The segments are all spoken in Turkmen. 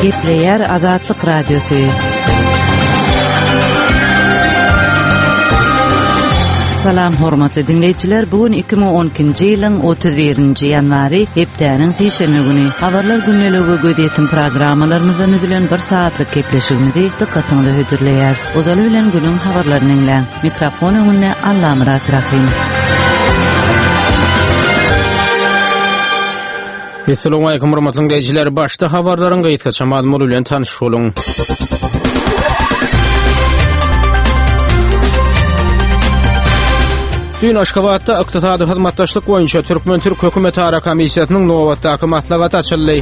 Gepleýär Azatlyk Radiosy. Salam hormatly diňleýjiler, bu gün 2012-nji ýylyň 31-nji ýanwary, hepdäniň sişenbe güni. Habarlar gündeligi we gözýetim programmalarymyzdan düzülen bir sagatlyk gepleşigimizi dykgatyňyza hödürleýäris. Ozaly bilen günüň habarlaryny diňläň. Mikrofon öňünde Allamyrat Rahym. Assalamualaikum hormatly dinleýjiler. Başda habarlaryň gysgaça mazmuny bilen tanyş boluň. Düýn Aşgabatda ykdysady hyzmatdaşlyk boýunça Türkmen-türk hökümetara komissiýasynyň nobatdaky maslahaty açyldy.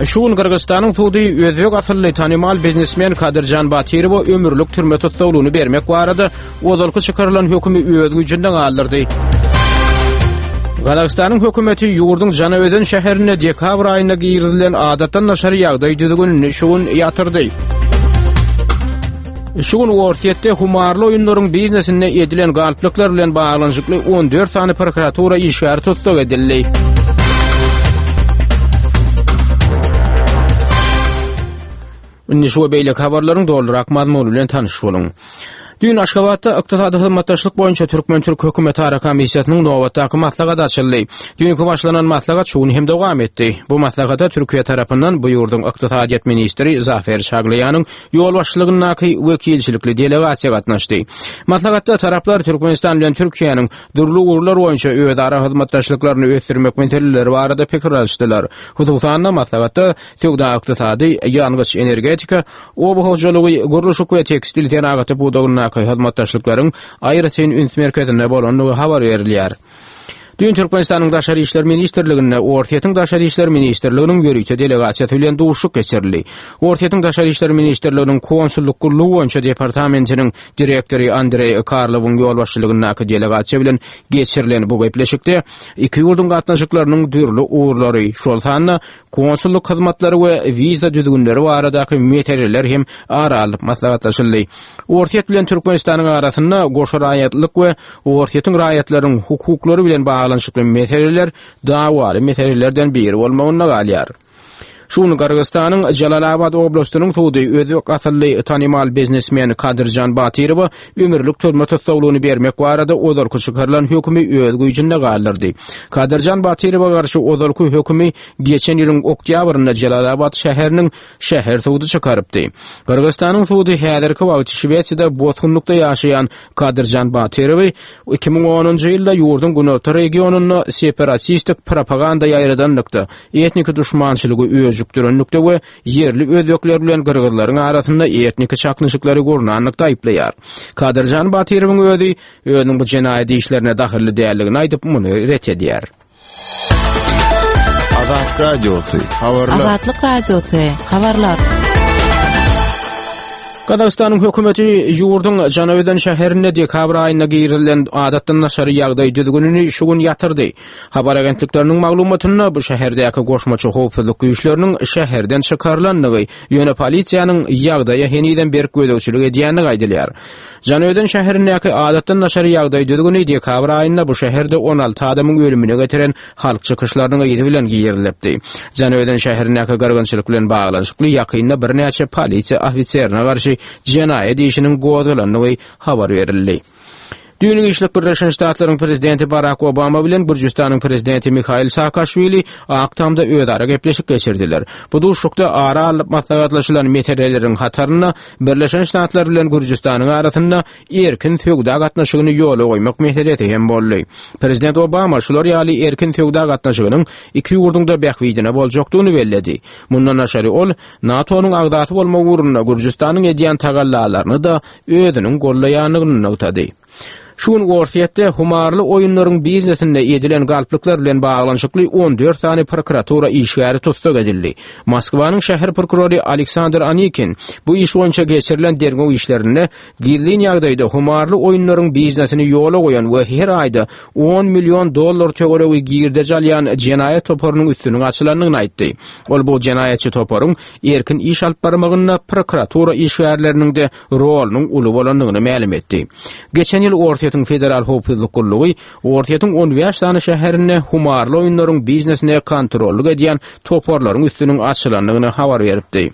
Şu gün Gyrgyzystanyň sudy özbek asylly tanymal biznesmen Kadyrjan Batyrowa ömürlik türme tussaglygyny bermek barada ozalky çykarylan hökümi öz güýjünde galdyrdy. Gazagystanyň hökümeti ýurduň Janaözen şäherinde dekabr aýynda girizilen adatdan daşary ýagdaý düzgünini şu gün ýatyrdy. Şu gün Orsýetde humarly oýunlaryň biznesinde edilen galplyklar bilen baglanyşykly 14 sany prokuratura işgäri tussag edildi. Indi şu we beýleki habarlaryň dolurak mazmuny bilen tanyş boluň. Düýn Aşgabatda ykdysady hyzmatdaşlyk boýunça türkmen-türk hökümetara komissiýasynyň nobatdaky maslahaty açyldy. Düýnki başlanan maslahat şu gün hem dowam etdi. Bu maslahata Türkiýe tarapyndan bu ýurduň ykdysadyýet ministri Zafer Çaglaýanyň ýolbaşçylygyndaky wekilçilikli delegasiýa gatnaşdy. Maslahatda taraplar Türkmenistan bilen Türkiýäniň dürli ugurlar boýunça özara hyzmatdaşlyklaryny ösdürmek meseleleri barada pikir alyşdylar. Hususan-da, maslahatda söwda-ykdysady, ýangyç-energetika, oba hojalygy, gurluşyk we tekstil senagaty pudagyndaky hyzmatdaşlyklaryň aýratyn üns merkezinde bolandygy habar berilýär. Düýn Türkmenistanyň Daşary işler ministrliginde Orsýetiň Daşary işler ministrliginiň ýörite delegasiýasy bilen duşuşyk geçirildi. Orsýetiň Daşary işler ministrliginiň konsullyk gullugy boýunça departamentiniň direktory Andreý Karlowyň ýolbaşçylygyndaky delegasiýa bilen geçirilen bu gepleşikde iki ýurduň gatnaşyklarynyň dürli ugurlary, şol sanda konsullyk hyzmatlary we wiza düzgünleri baradaky meseleler hem ara alnyp maslahatlaşyldy. Orsýet bilen Türkmenistanyň arasynda goşa raýatlylyk we Orsýetiň raýatlarynyň hukuklary bilen baglanyşykly meseleler dawaly meselelerden biri bolmagynda galýar. Şu gün Gyrgyzystanyň Jalalabat oblastynyň sudy özbek asylly tanymal biznesmen Kadyrjan Batyrowa ömürlik türme tussaglygyny bermek barada ozalky çykarylan hökümi öz güýjünde galdyrdy. Kadyrjan Batyrowa garşy ozalky hökümi geçen ýylyň oktýabrynda Jalalabat şäheriniň şäher sudy çykarypdy. Gyrgyzystanyň sudy häzirki wagt Şwesiýada bosgunlykda ýaşaýan Kadyrjan Batyrowy 2010-njy ýylda ýurduň günorta regionynda separatistik propaganda ýaýradanlykda, etniki duşmançylygy öjükdirenlikde we ýerli özbekler bilen gyrgyzlaryň arasynda etniki çaknyşyklary gurnanlykda aýyplaýar. Kadyrjan Batyrowyň özi özüniň bu jenaýat işlerine dahylly däldigini aýdyp, muny ret edýär. Azat Radiosy, habarlar. Azatlyk Radiosy, habarlar. Gazagystanyň hökümeti ýurduň Janaözen şäherinde dekabr aýynda girizilen adatdan daşary ýagdaý düzgünini şu gün ýatyrdy. Habar agentlikleriniň maglumatynda bu şäherdäki goşmaça howpsuzlyk güýçleriniň şäherden çykarylandygy, ýöne polisiýanyň ýagdaýa henizem berk gözegçilik edýändigi aýdylýar. Janaözen şäherindäki adatdan daşary ýagdaý düzgüni dekabr aýynda bu şäherde 16 adamyň ölümine getiren halk çykyşlarynyň yzy bilen girizilipdi. Janaözen şäherindäki gyrgynçylyk bilen baglanyşykly ýakynda birnäçe polisiýa ofiserine garşy jenaýat işiniň gozgalandygy habar berildi. Düýn giçlik Birleşen Ştatlaryň prezidenti Barak Obama bilen Gürjüstanyň prezidenti Mihail Saakaşwili Ak Tamda özara gepleşik geçirdiler. Bu duşuşykda ara alnyp maslahatlaşylan meseleleriň hatarynda Birleşen Ştatlar bilen Gürjüstanyň arasynda erkin söwda gatnaşygyny ýola goýmak meselesi hem boldy. Prezident Obama şular ýaly erkin söwda gatnaşygynyň iki ýurduň-da bähbidine boljakdygyny belledi. Mundan daşary ol NATO-nyň agzasy bolmak ugrunda Gürjüstanyň edýän tagallalaryny-da özüniň goldaýandygyny nygtady. Şu gün Orsýetde humarly oýunlaryň biznesinde edilen galplyklar bilen baglanyşykly 14 sany prokuratura işgäri tussag edildi. Moskwanyň şäher prokurory Aleksandr Anikin bu iş boýunça geçirilen derňew işlerinde gizlin ýagdaýda humarly oýunlaryň biznesini ýola goýan we her aýda on million dollar töweregi girdeji alýan jenaýat toparynyň üstüniň açylandygyny aýtdy. Ol bu jenaýatçy toparyň erkin iş alyp barmagynda prokuratura işgärleriniň-de rolunyň uly bolandygyny mälim etdi. Geçen ýyl Orsýetiň. Orsýetiň Federal howpsuzlyk gullugy Orsýetiň 15 sany şäherinde humarly oýunlaryň biznesine kontrollyk edýän toparlaryň üstüniň açylandygyny habar beripdi.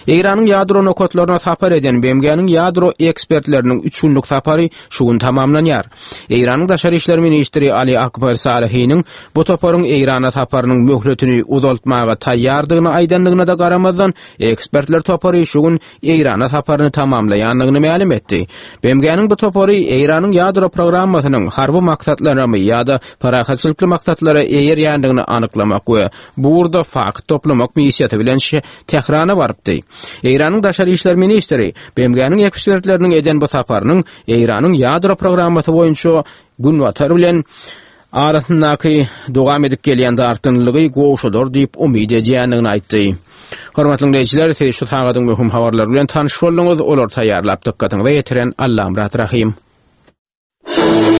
Eýranyň ýadro nokatlaryna sapar eden BMG-niň ýadro ekspertleriniň üç günlük sapary şu gün tamamlanýar. Eýranyň daşary işler ministri Ali Akbar Salihiniň bu toparyň Eýrana saparynyň möhletini uzaltmaga taýýardygyny aýdandygyna-da garamazdan, ekspertler topary şu gün Eýrana saparyny tamamlaýandygyny mälim etdi. BMG-niň bu topary Eýranyň ýadro programmasynyň harby maksatlaramy ýa-da parahatçylykly maksatlara eýerýändigini anyklamak we bu ugurda fakt toplamak missiýasy bilen Tährana barypdy. Eýranyň daşary işler ministri BMG-niň ekspertleriniň eden bu saparynyň Eýranyň ýadro programmasy boýunça Günbatar bilen arasyndaky dowam edip gelýän dartgynlylygy gowşadar diýip umyt edýändigini aýtdy. Hormatly diňleýjiler, siz şu sagadyň möhüm habarlary bilen tanyş bolduňyz. Olary taýýarlap dykgatyňyza ýetiren Allamyrat Rahym.